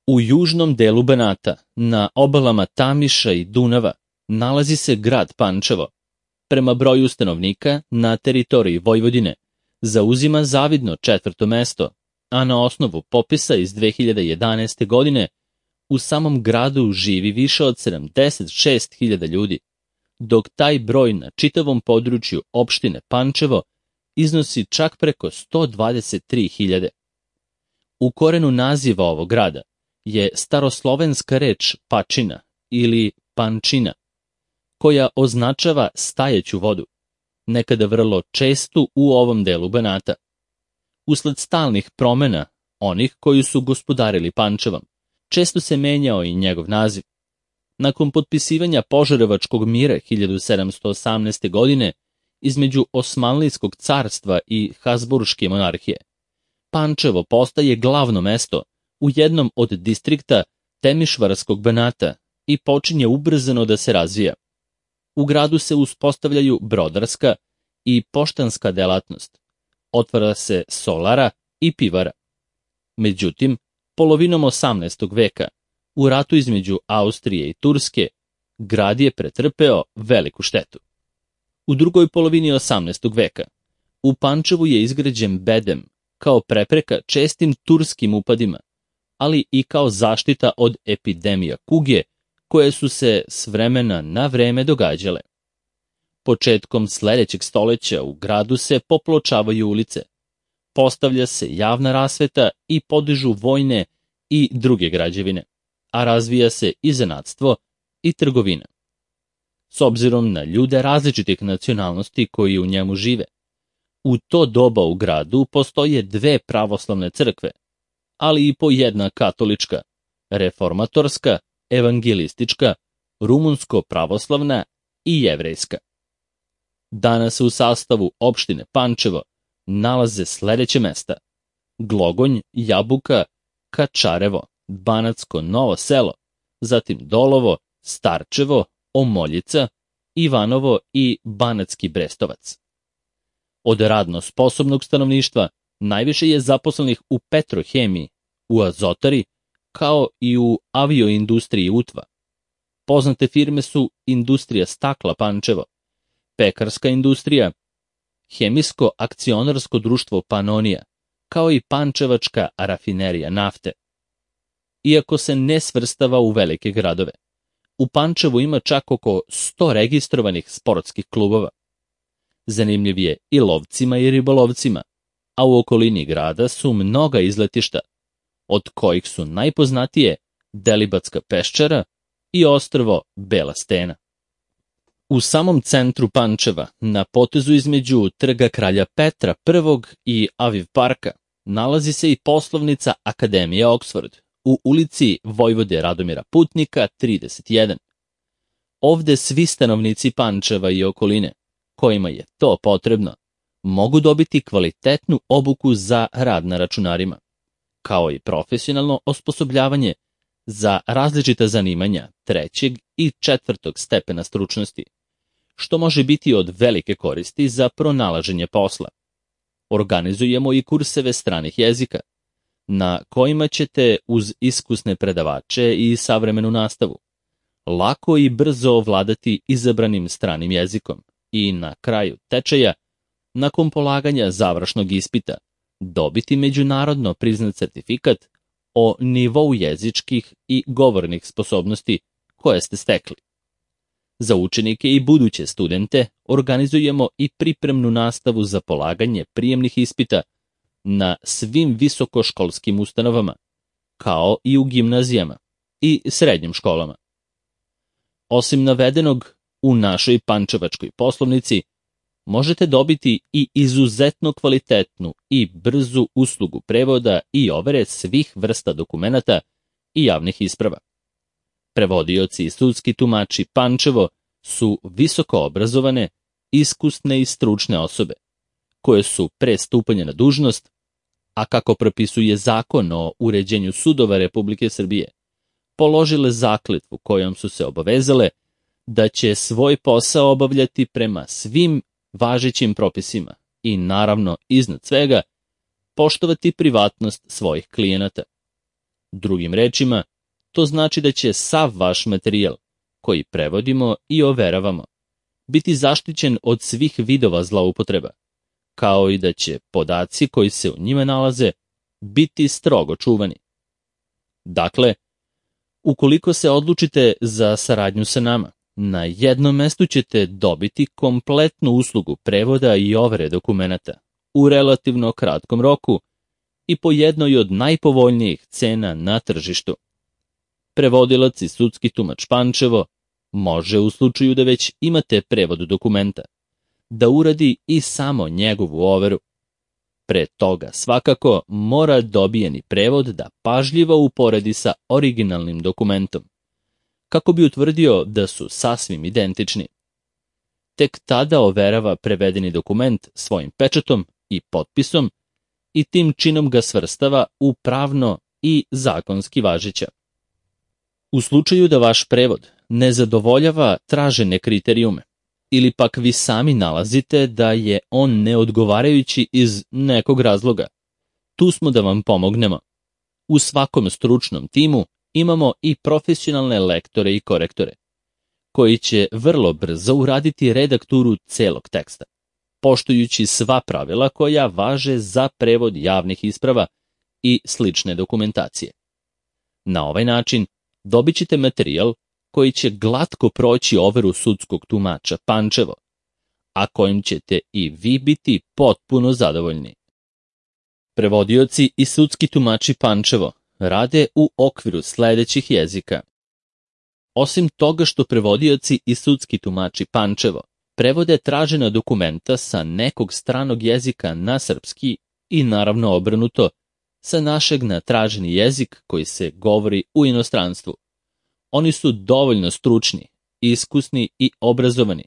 U južnom delu Banata, na obalama Tamiša i Dunava, nalazi se grad Pančevo. Prema broju stanovnika na teritoriji Vojvodine zauzima zavidno 4. mesto, a na osnovu popisa iz 2011. godine u samom gradu živi više od 76.000 ljudi, dok taj broj na čitavom području opštine Pančevo iznosi čak preko 123.000. U korenu naziva ovog grada je staroslovenska reč pačina ili pančina, koja označava stajeću vodu, nekada vrlo čestu u ovom delu Banata. Usled stalnih promena onih koji su gospodarili Pančevom, često se menjao i njegov naziv. Nakon potpisivanja Požarevačkog mira 1718. godine između Osmanlijskog carstva i Habsburške monarhije, Pančevo postaje glavno mesto u jednom od distrikta Temišvarskog Banata i počinje ubrzano da se razvija. U gradu se uspostavljaju brodarska i poštanska delatnost, otvara se solara i pivara. Međutim, polovinom 18. veka, u ratu između Austrije i Turske, grad je pretrpeo veliku štetu. U drugoj polovini 18. veka, u Pančevu je izgrađen bedem kao prepreka čestim turskim upadima, ali i kao zaštita od epidemija kuge koje su se s vremena na vreme događale. Početkom sledećeg stoleća u gradu se popločavaju ulice, postavlja se javna rasveta i podižu vojne i druge građevine, a razvija se i zanatstvo i trgovina. S obzirom na ljude različitih nacionalnosti koji u njemu žive, u to doba u gradu postoje 2 pravoslavne crkve, ali i po jedna katolička, reformatorska, evangelistička, rumunsko-pravoslavna i jevrejska. Danas u sastavu opštine Pančevo nalaze sledeće mesta: Glogonj, Jabuka, Kačarevo, Banatsko Novo Selo, zatim Dolovo, Starčevo, Omoljica, Ivanovo i Banatski Brestovac. Od radno sposobnog stanovništva najviše je zaposlenih u petrohemiji, u azotari, kao i u avioindustriji Utva. Poznate firme su Industrija stakla Pančevo, pekarska industrija, Hemijsko akcionarsko društvo Panonija, kao i Pančevačka rafinerija nafte. Iako se ne svrstava u velike gradove, u Pančevu ima čak oko 100 registrovanih sportskih klubova. Zanimljiv je i lovcima i ribolovcima, a u okolini grada su mnoga izletišta, od kojih su najpoznatije Delibatska peščara i ostrvo Bela Stena. U samom centru Pančeva, na potezu između Trga kralja Petra I i Aviv parka, nalazi se i poslovnica Akademije Oxford u ulici Vojvode Radomira Putnika 31. Ovde svi stanovnici Pančeva i okoline, kojima je to potrebno, mogu dobiti kvalitetnu obuku za rad na računarima, kao i profesionalno osposobljavanje za različita zanimanja 3. i 4. stepena stručnosti, što može biti od velike koristi za pronalaženje posla. Organizujemo i kurseve stranih jezika, na kojima ćete uz iskusne predavače i savremenu nastavu lako i brzo ovladati izabranim stranim jezikom i na kraju tečaja, nakon polaganja završnog ispita, dobiti međunarodno priznat certifikat o nivou jezičkih i govornih sposobnosti koje ste stekli. Za učenike i buduće studente organizujemo i pripremnu nastavu za polaganje prijemnih ispita na svim visokoškolskim ustanovama, kao i u gimnazijama i srednjim školama. Osim navedenog, u našoj pančevačkoj poslovnici možete dobiti i izuzetno kvalitetnu i brzu uslugu prevoda i overe svih vrsta dokumenata i javnih isprava. Prevodioci i sudski tumači Pančevo su visoko obrazovane, iskusne i stručne osobe, koje su pre stupanja na dužnost, a kako propisuje Zakon o uređenju sudova Republike Srbije, položile zakletvu kojom su se obavezale da će svoj posao obavljati prema svim važećim propisima i, naravno, iznad svega, poštovati privatnost svojih klijenata. Drugim rečima, to znači da će sav vaš materijal, koji prevodimo i overavamo, biti zaštićen od svih vidova zloupotreba, kao i da će podaci koji se u njima nalaze biti strogo čuvani. Dakle, ukoliko se odlučite za saradnju sa nama, na jednom mestu ćete dobiti kompletnu uslugu prevoda i overe dokumenata u relativno kratkom roku i po jednoj od najpovoljnijih cena na tržištu. Prevodilac i sudski tumač Pančevo može, u slučaju da već imate prevod dokumenta, da uradi i samo njegovu overu. Pre toga svakako mora dobijeni prevod da pažljivo uporedi sa originalnim dokumentom, kako bi utvrdio da su sasvim identični. Tek tada overava prevedeni dokument svojim pečatom i potpisom i tim činom ga svrstava u pravno i zakonski važeća. U slučaju da vaš prevod ne zadovoljava tražene kriterijume, ili pak vi sami nalazite da je on neodgovarajući iz nekog razloga, tu smo da vam pomognemo. U svakom stručnom timu imamo i profesionalne lektore i korektore, koji će vrlo brzo uraditi redakturu celog teksta, poštujući sva pravila koja važe za prevod javnih isprava i slične dokumentacije. Na ovaj način dobit ćete materijal koji će glatko proći overu sudskog tumača Pančevo, a kojim ćete i vi biti potpuno zadovoljni. Prevodioci i sudski tumači Pančevo rade u okviru sledećih jezika. Osim toga što prevodioci i sudski tumači Pančevo prevode tražena dokumenta sa nekog stranog jezika na srpski i naravno obrnuto, sa našeg na traženi jezik koji se govori u inostranstvu. Oni su dovoljno stručni, iskusni i obrazovani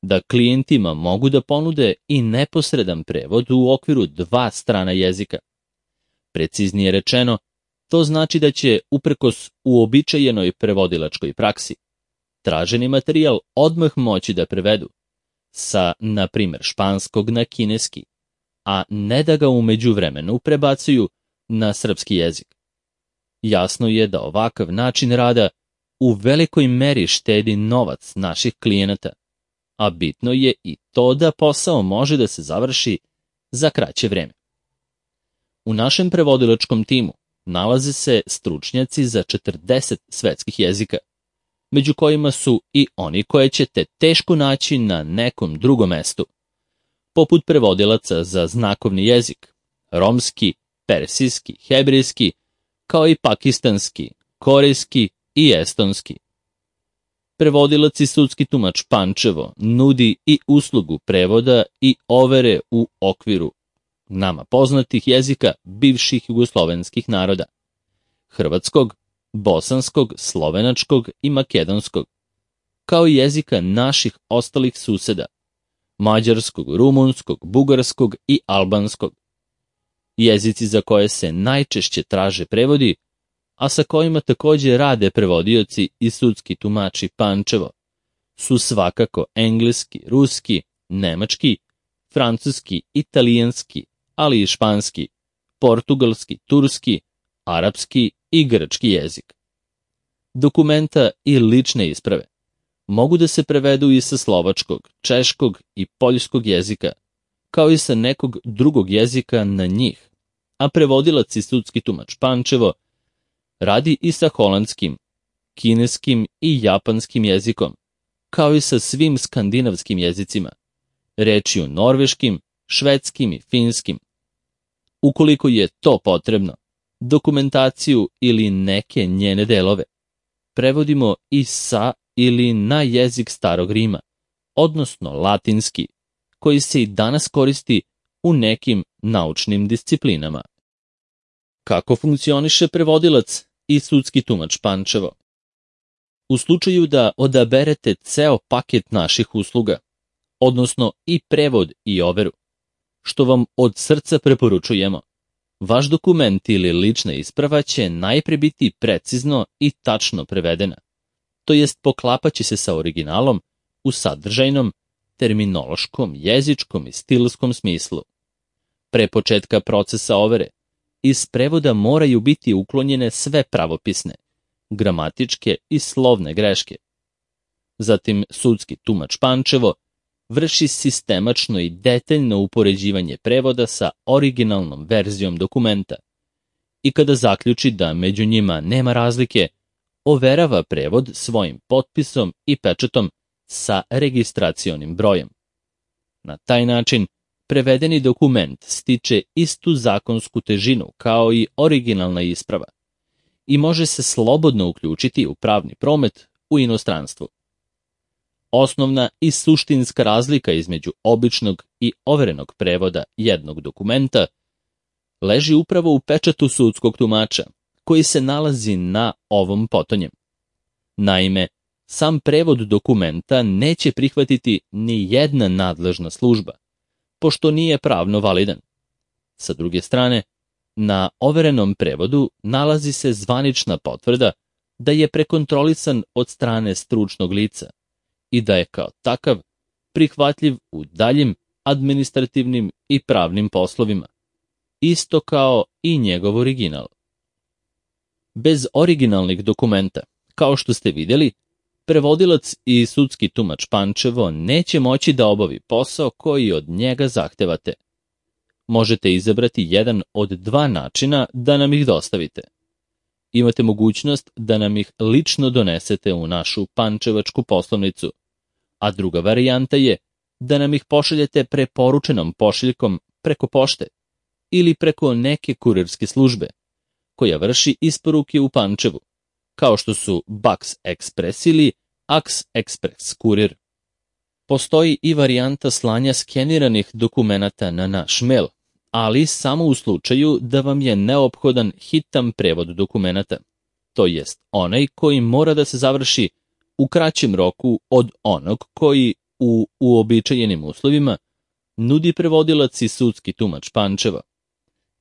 da klijentima mogu da ponude i neposredan prevod u okviru 2 strana jezika. Preciznije rečeno, to znači da će, uprkos uobičajenoj prevodilačkoj praksi, traženi materijal odmah moći da prevedu sa, na primjer, španskog na kineski, a ne da ga u međuvremenu prebacuju na srpski jezik. Jasno je da ovakav način rada u velikoj meri štedi novac naših klijenata, a bitno je i to da posao može da se završi za kraće vreme. U našem prevodilačkom timu nalaze se stručnjaci za 40 svetskih jezika, među kojima su i oni koje ćete teško naći na nekom drugom mestu, poput prevodilaca za znakovni jezik, romski, persijski, hebrejski, kao i pakistanski, korejski i estonski. Prevodilac i sudski tumač Pančevo nudi i uslugu prevoda i overe u okviru nama poznatih jezika bivših jugoslovenskih naroda: hrvatskog, bosanskog, slovenačkog i makedonskog, kao i jezika naših ostalih suseda: mađarskog, rumunskog, bugarskog i albanskog. Jezici za koje se najčešće traže prevodi, a sa kojima takođe rade prevodioci i sudski tumači Pančevo, su svakako engleski, ruski, nemački, francuski, italijanski, ali i španski, portugalski, turski, arapski i grčki jezik. Dokumenta i lične isprave mogu da se prevedu i sa slovačkog, češkog i poljskog jezika, kao i sa nekog drugog jezika na njih, a prevodilac i sudski tumač Pančevo radi i sa holandskim, kineskim i japanskim jezikom, kao i sa svim skandinavskim jezicima, rečju norveškim, švedskim i finskim. Ukoliko je to potrebno, dokumentaciju ili neke njene delove prevodimo i sa ili na jezik Starog Rima, odnosno latinski, koji se i danas koristi u nekim naučnim disciplinama. Kako funkcioniše prevodilac i sudski tumač Pančevo? U slučaju da odaberete ceo paket naših usluga, odnosno i prevod i overu, što vam od srca preporučujemo, vaš dokument ili lična isprava će najpre biti precizno i tačno prevedena, to jest poklapaće se sa originalom u sadržajnom, terminološkom, jezičkom i stilskom smislu. Pre početka procesa overe, iz prevoda moraju biti uklonjene sve pravopisne, gramatičke i slovne greške. Zatim sudski tumač Pančevo vrši sistemačno i detaljno upoređivanje prevoda sa originalnom verzijom dokumenta i kada zaključi da među njima nema razlike, overava prevod svojim potpisom i pečatom sa registracionim brojem. Na taj način, prevedeni dokument stiče istu zakonsku težinu kao i originalna isprava i može se slobodno uključiti u pravni promet u inostranstvu. Osnovna i suštinska razlika između običnog i overenog prevoda jednog dokumenta leži upravo u pečatu sudskog tumača, koji se nalazi na ovom potonjem. Naime, sam prevod dokumenta neće prihvatiti ni jedna nadležna služba, pošto nije pravno validan. Sa druge strane, na overenom prevodu nalazi se zvanična potvrda da je prekontrolisan od strane stručnog lica i da je kao takav prihvatljiv u daljim administrativnim i pravnim poslovima, isto kao i njegov original. Bez originalnih dokumenta, kao što ste vidjeli, prevodilac i sudski tumač Pančevo neće moći da obavi posao koji od njega zahtevate. Možete izabrati jedan od dva načina da nam ih dostavite. Imate mogućnost da nam ih lično donesete u našu pančevačku poslovnicu, a druga varijanta je da nam ih pošaljete preporučenom pošiljkom preko pošte ili preko neke kurirske službe, koja vrši isporuke u Pančevu, kao što su Bax Express ili Ax Express kurir. Postoji i varijanta slanja skeniranih dokumenata na naš mail, ali samo u slučaju da vam je neophodan hitan prevod dokumenata, to jest onaj koji mora da se završi u kraćem roku od onog koji u uobičajenim uslovima nudi prevodilac i sudski tumač Pančeva.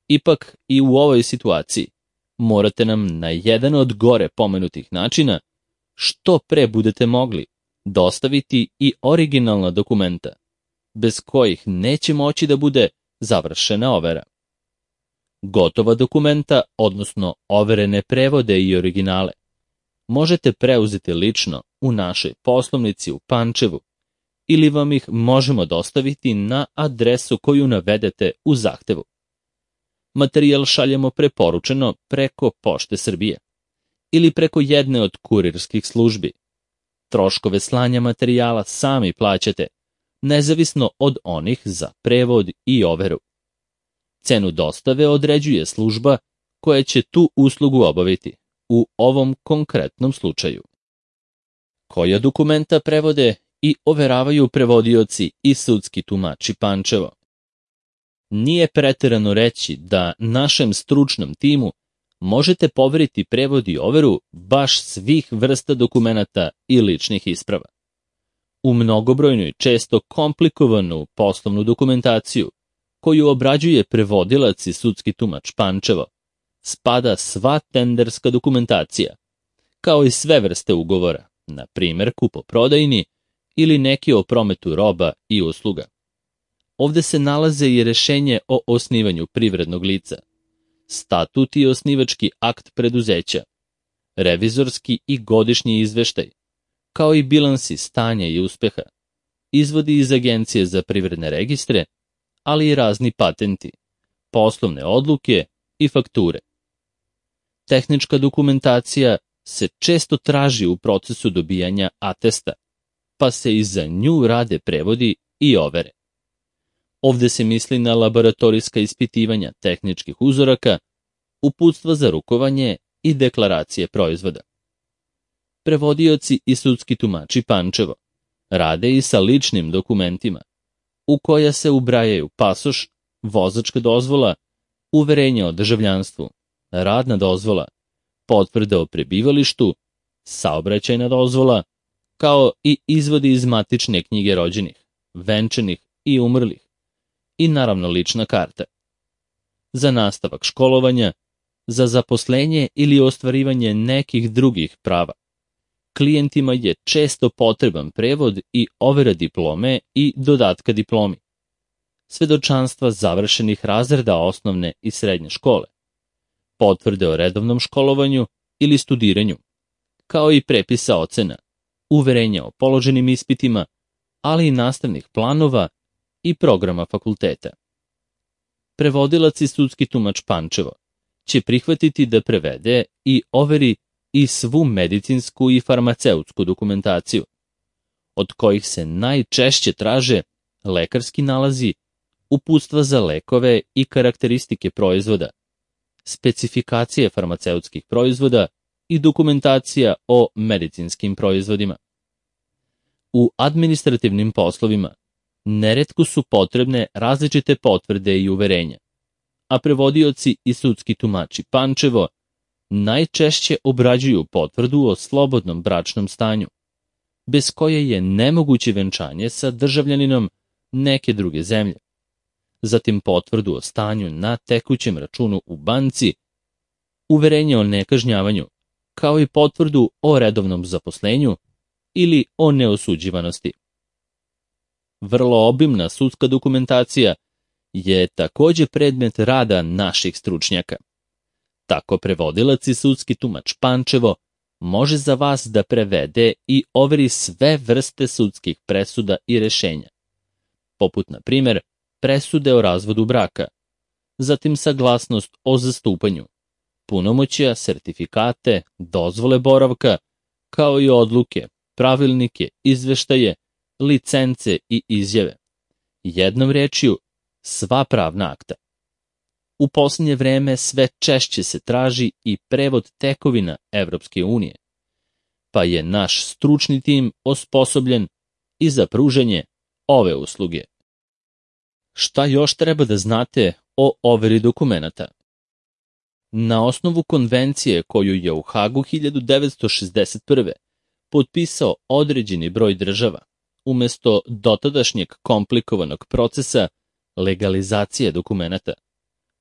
Ipak i u ovoj situaciji morate nam na jedan od gore pomenutih načina, što pre budete mogli, dostaviti i originalna dokumenta, bez kojih neće moći da bude završena overa. Gotova dokumenta, odnosno overene prevode i originale, možete preuzeti lično u našoj poslovnici u Pančevu ili vam ih možemo dostaviti na adresu koju navedete u zahtevu. Materijal šaljemo preporučeno preko Pošte Srbije ili preko jedne od kurirskih službi. Troškove slanja materijala sami plaćate, nezavisno od onih za prevod i overu. Cenu dostave određuje služba koja će tu uslugu obaviti, u ovom konkretnom slučaju. Koja dokumenta prevode i overavaju prevodioci i sudski tumači Pančevo? Nije preterano reći da našem stručnom timu možete poveriti prevod i overu baš svih vrsta dokumenata i ličnih isprava. U mnogobrojnu i često komplikovanu poslovnu dokumentaciju, koju obrađuje prevodilac i sudski tumač Pančevo, spada sva tenderska dokumentacija, kao i sve vrste ugovora, na primjer kupoprodajni ili neki o prometu roba i usluga. Ovde se nalaze i rešenje o osnivanju privrednog lica, statut i osnivački akt preduzeća, revizorski i godišnji izveštaj, kao i bilansi stanja i uspeha, izvodi iz Agencije za privredne registre, ali i razni patenti, poslovne odluke i fakture. Tehnička dokumentacija se često traži u procesu dobijanja atesta, pa se i za nju rade prevodi i overe. Ovde se misli na laboratorijska ispitivanja tehničkih uzoraka, uputstva za rukovanje i deklaracije proizvoda. Prevodioci i sudski tumači Pančevo rade i sa ličnim dokumentima, u koja se ubrajaju pasoš, vozačka dozvola, uverenje o državljanstvu, radna dozvola, potvrda o prebivalištu, saobraćajna dozvola, kao i izvodi iz matične knjige rođenih, venčanih i umrlih, i naravno lična karta. Za nastavak školovanja, za zaposlenje ili ostvarivanje nekih drugih prava, klijentima je često potreban prevod i overa diplome i dodatka diplomi, svedočanstva završenih razreda osnovne i srednje škole, potvrde o redovnom školovanju ili studiranju, kao i prepisa ocena, uverenja o položenim ispitima, ali i nastavnih planova i programa fakulteta. Prevodilac i sudski tumač Pančevo će prihvatiti da prevede i overi i svu medicinsku i farmaceutsku dokumentaciju, od kojih se najčešće traže lekarski nalazi, uputstva za lekove i karakteristike proizvoda, specifikacije farmaceutskih proizvoda i dokumentacija o medicinskim proizvodima. U administrativnim poslovima neretko su potrebne različite potvrde i uverenja, a prevodioci i sudski tumači Pančevo najčešće obrađuju potvrdu o slobodnom bračnom stanju, bez koje je nemoguće venčanje sa državljaninom neke druge zemlje, zatim potvrdu o stanju na tekućem računu u banci, uverenje o nekažnjavanju, kao i potvrdu o redovnom zaposlenju ili o neosuđivanosti. Vrlo obimna sudska dokumentacija je takođe predmet rada naših stručnjaka. Tako prevodilac i sudski tumač Pančevo može za vas da prevede i overi sve vrste sudskih presuda i rešenja, poput, na primer, presude o razvodu braka, zatim saglasnost o zastupanju, punomoćja, sertifikate, dozvole boravka, kao i odluke, pravilnike, izveštaje, licence i izjave. Jednom rečju, sva pravna akta. U posljednje vreme sve češće se traži i prevod tekovina Evropske unije, pa je naš stručni tim osposobljen i za pružanje ove usluge. Šta još treba da znate o overi dokumenata? Na osnovu konvencije koju je u Hagu 1961. potpisao određeni broj država, umesto dotadašnjeg komplikovanog procesa legalizacije dokumenata,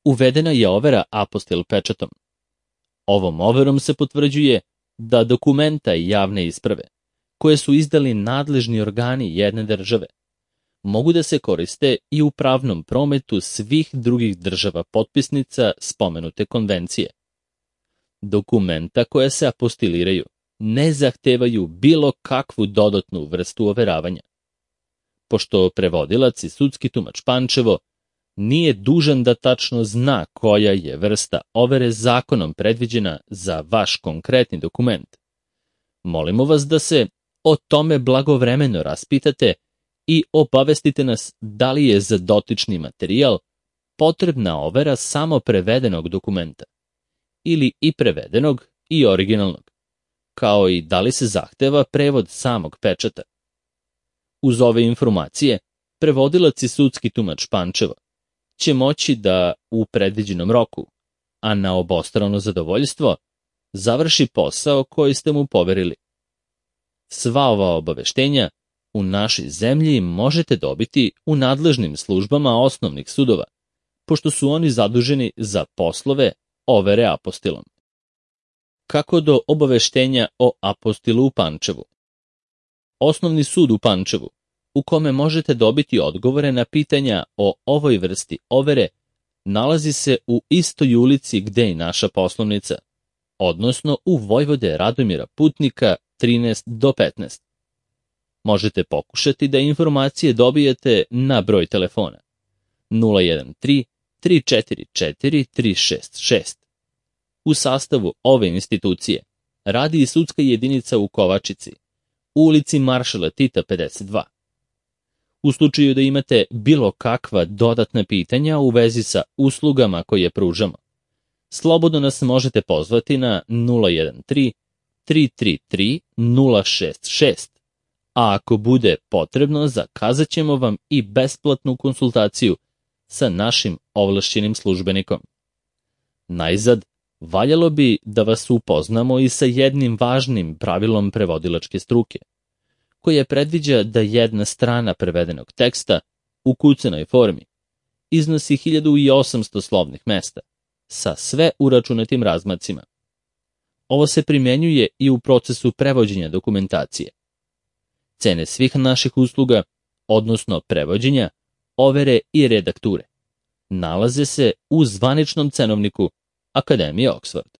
uvedena je overa apostil pečatom. Ovom overom se potvrđuje da dokumenta i javne isprave, koje su izdali nadležni organi jedne države, mogu da se koriste i u pravnom prometu svih drugih država potpisnica spomenute konvencije. Dokumenta koja se apostiliraju ne zahtevaju bilo kakvu dodatnu vrstu overavanja. Pošto prevodilac i sudski tumač Pančevo nije dužan da tačno zna koja je vrsta overe zakonom predviđena za vaš konkretni dokument, molimo vas da se o tome blagovremeno raspitate i obavestite nas da li je za dotični materijal potrebna overa samo prevedenog dokumenta ili i prevedenog i originalnog, kao i da li se zahteva prevod samog pečata. Uz ove informacije, prevodilac i sudski tumač Pančevo će moći da u predviđenom roku, a na obostrano zadovoljstvo, završi posao koji ste mu poverili. Sva ova obaveštenja u našoj zemlji možete dobiti u nadležnim službama osnovnih sudova, pošto su oni zaduženi za poslove overe apostilom. Kako do obaveštenja o apostilu u Pančevu? Osnovni sud u Pančevu, u kome možete dobiti odgovore na pitanja o ovoj vrsti overe, nalazi se u istoj ulici gde i naša poslovnica, odnosno u Vojvode Radomira Putnika 13 do 15. Možete pokušati da informacije dobijete na broj telefona 013 344 366. U sastavu ove institucije radi i sudska jedinica u Kovačici, u ulici Maršala Tita 52. U slučaju da imate bilo kakva dodatna pitanja u vezi sa uslugama koje pružamo, slobodno nas možete pozvati na 013 333 066, a ako bude potrebno, zakazat ćemo vam i besplatnu konsultaciju sa našim ovlašćenim službenikom. Najzad, valjalo bi da vas upoznamo i sa jednim važnim pravilom prevodilačke struke, koje predviđa da jedna strana prevedenog teksta u kucanoj formi iznosi 1800 slovnih mesta sa sve uračunatim razmacima. Ovo se primenjuje i u procesu prevođenja dokumentacije. Cene svih naših usluga, odnosno prevođenja, overe i redakture, nalaze se u zvaničnom cenovniku Akademije Oxford.